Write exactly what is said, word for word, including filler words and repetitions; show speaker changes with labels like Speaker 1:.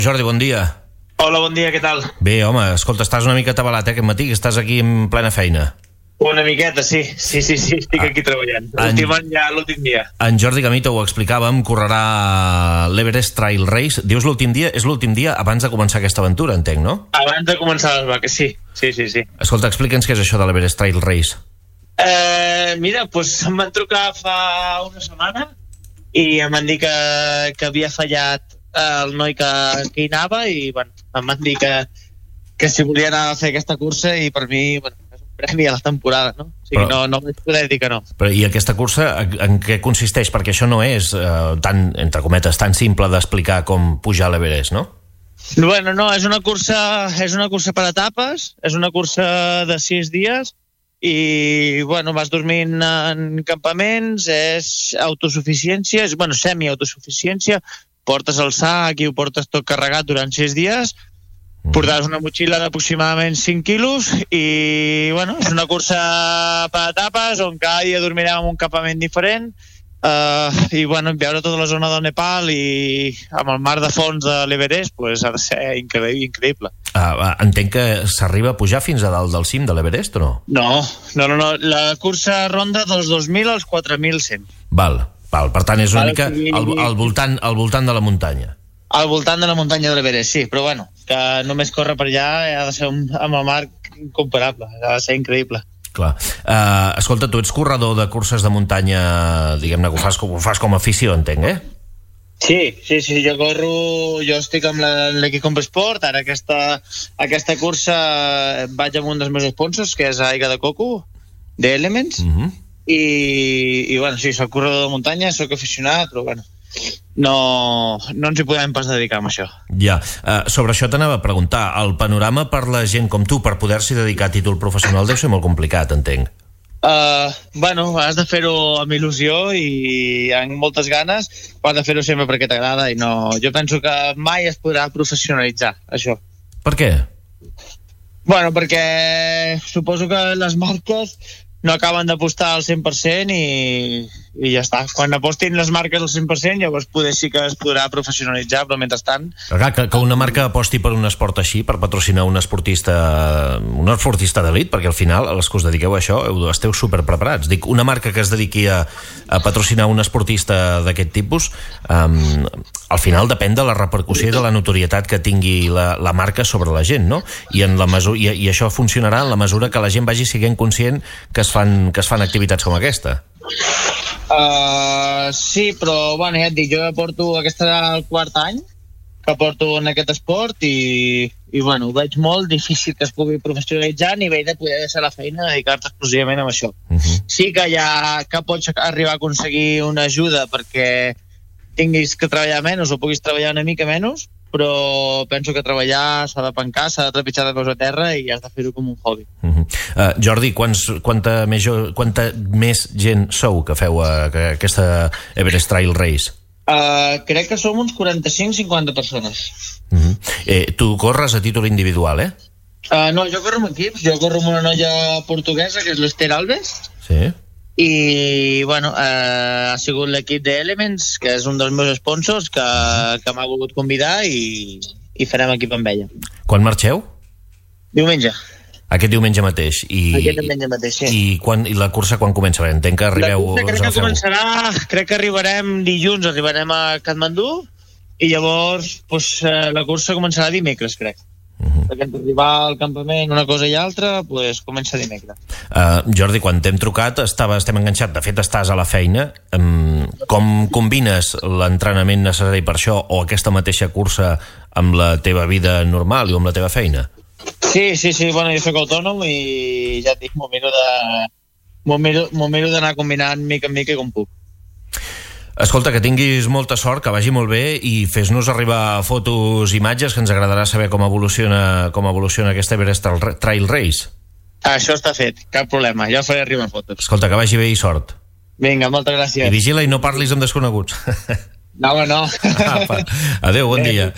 Speaker 1: Jordi, bon dia.
Speaker 2: Hola, bon dia, què tal?
Speaker 1: Bé, home, escolta, estàs una mica atabalat, eh, aquest matí, que estàs aquí en plena feina.
Speaker 2: Una miqueta, sí. Sí, sí, sí, estic ah, aquí treballant. L'últim any ja, l'últim dia.
Speaker 1: En Jordi Gamito ho explicàvem, correrà l'Everest Trail Race. Dius l'últim dia? És l'últim dia abans de començar aquesta aventura, entenc, no?
Speaker 2: Abans de començar les vaques, sí. Sí, sí, sí.
Speaker 1: Escolta, explica'ns què és això de l'Everest Trail Race.
Speaker 2: Eh, mira, doncs em van trucar fa una setmana i em van dir que, que havia fallat el noi que, que hi anava i, bueno, em van dir que, que si volia anar a fer aquesta cursa i per mi, bueno, és un premi a la temporada, no? O sigui, però, no, no vaig poder dir que no.
Speaker 1: Però i aquesta cursa en què consisteix? Perquè això no és eh, tan, entre cometes, tan simple d'explicar com pujar a l'Everest, no?
Speaker 2: Bueno, no, és una cursa, és una cursa per etapes, és una cursa de sis dies i, bueno, vas dormint en campaments, és autosuficiència, és, bueno, semi-autosuficiència, portes el sac i ho portes tot carregat durant sis dies, portaràs una motxilla d'aproximadament cinc quilos i, bueno, és una cursa per etapes on cada dia dormirem en un campament diferent uh, i, bueno, veure tota la zona del Nepal i amb el mar de fons de l'Everest, pues, ha de ser increïble. increïble.
Speaker 1: Uh, entenc que s'arriba a pujar fins a dalt del cim de l'Everest, o no?
Speaker 2: No, no, no, no. La cursa ronda dels dos mil als quatre mil cent.
Speaker 1: Val. Val, per tant, és una mica al, al, voltant, al voltant de la muntanya.
Speaker 2: Al voltant de la muntanya de l'Everest, sí, però bueno, que només córrer per allà ha de ser un, amb el mar incomparable, ha de ser increïble.
Speaker 1: Clar. Uh, escolta, tu ets corredor de curses de muntanya, diguem-ne, que ho fas, ho fas com a afició, entenc, eh?
Speaker 2: Sí, sí, sí, jo corro, jo estic amb l'equip Compesport, ara aquesta, aquesta cursa vaig amb un dels meus sponsors, que és Aigua de Coco, d'Elements, uh-huh. I, i bueno, sí, soc corredor de muntanya, soc aficionat, però bueno, no, no ens hi podem pas dedicar amb això.
Speaker 1: Ja, uh, sobre això t'anava a preguntar, el panorama per la gent com tu, per poder-s'hi dedicar a títol professional deu ser molt complicat, entenc.
Speaker 2: Uh, bueno, has de fer-ho amb il·lusió i amb moltes ganes, però has de fer-ho sempre perquè t'agrada i no... Jo penso que mai es podrà professionalitzar, això.
Speaker 1: Per què?
Speaker 2: Bueno, perquè suposo que les marques no acaben d'apostar al cent per cent i, i ja està. Quan apostin les marques al cent per cent llavors poder sí que es podrà professionalitzar, però mentrestant...
Speaker 1: Clar, que, que una marca aposti per un esport així, per patrocinar un esportista un esportista d'elit, perquè al final els que us dediqueu a això esteu superpreparats. Dic, una marca que es dediqui a, a patrocinar un esportista d'aquest tipus, um, al final depèn de la repercussió i de la notorietat que tingui la, la marca sobre la gent, no? I, en la mesura, i, i això funcionarà en la mesura que la gent vagi sent conscient que es fan, que es fan activitats com aquesta.
Speaker 2: Uh, sí, però bueno, ja et dic, jo porto, aquest serà el quart any que porto en aquest esport i, i bueno, ho veig molt difícil que es pugui professionalitzar a nivell de poder deixar la feina i dedicar-te exclusivament a això. Uh-huh. Sí que hi ha, que pots arribar a aconseguir una ajuda perquè tinguis que treballar menys o puguis treballar una mica menys, però penso que treballar s'ha de pencar, s'ha de trepitjar de peus a terra i has de fer-ho com un hobby.
Speaker 1: Uh-huh. uh, Jordi, quants, quanta, més, quanta més gent sou que feu uh, que aquesta Everest Trail Race?
Speaker 2: Uh, crec que som uns quaranta-cinc cinquanta persones.
Speaker 1: Uh-huh. eh, tu corres a títol individual, eh?
Speaker 2: Uh, no, jo corro amb equips, jo corro amb una noia portuguesa que és l'Ester Alves.
Speaker 1: Sí.
Speaker 2: I, bueno, eh, ha sigut l'equip d'Elements, que és un dels meus sponsors, que, que m'ha volgut convidar i, i farem equip amb ella.
Speaker 1: Quan marxeu?
Speaker 2: Diumenge.
Speaker 1: Aquest diumenge mateix. I,
Speaker 2: Aquest diumenge mateix, sí.
Speaker 1: I, quan, I la cursa quan comença? Entenc que arribeu...
Speaker 2: La cursa crec que començarà, crec que arribarem dilluns, arribarem a Katmandú, i llavors pues, la cursa començarà dimecres, crec. Uh-huh. Perquè arribar al campament una cosa i altra pues, comença dimecres.
Speaker 1: uh, Jordi, quan t'hem trucat estava, estem enganxat, de fet estàs a la feina. um, com combines l'entrenament necessari per això o aquesta mateixa cursa amb la teva vida normal i amb la teva feina?
Speaker 2: Sí, sí, sí, bueno, jo soc autònom i ja et dic, m'ho miro de m'ho miro, m'ho miro d'anar combinant mica en mica com puc.
Speaker 1: Escolta, que tinguis molta sort, que vagi molt bé i fes-nos arribar fotos, imatges, que ens agradarà saber com evoluciona, com evoluciona aquesta Everest Trail Race.
Speaker 2: Això està fet, cap problema, ja faré arribar fotos.
Speaker 1: Escolta, que vagi bé i sort.
Speaker 2: Vinga, moltes gràcies.
Speaker 1: I vigila i no parlis amb desconeguts.
Speaker 2: No, no.
Speaker 1: Adéu, bon dia.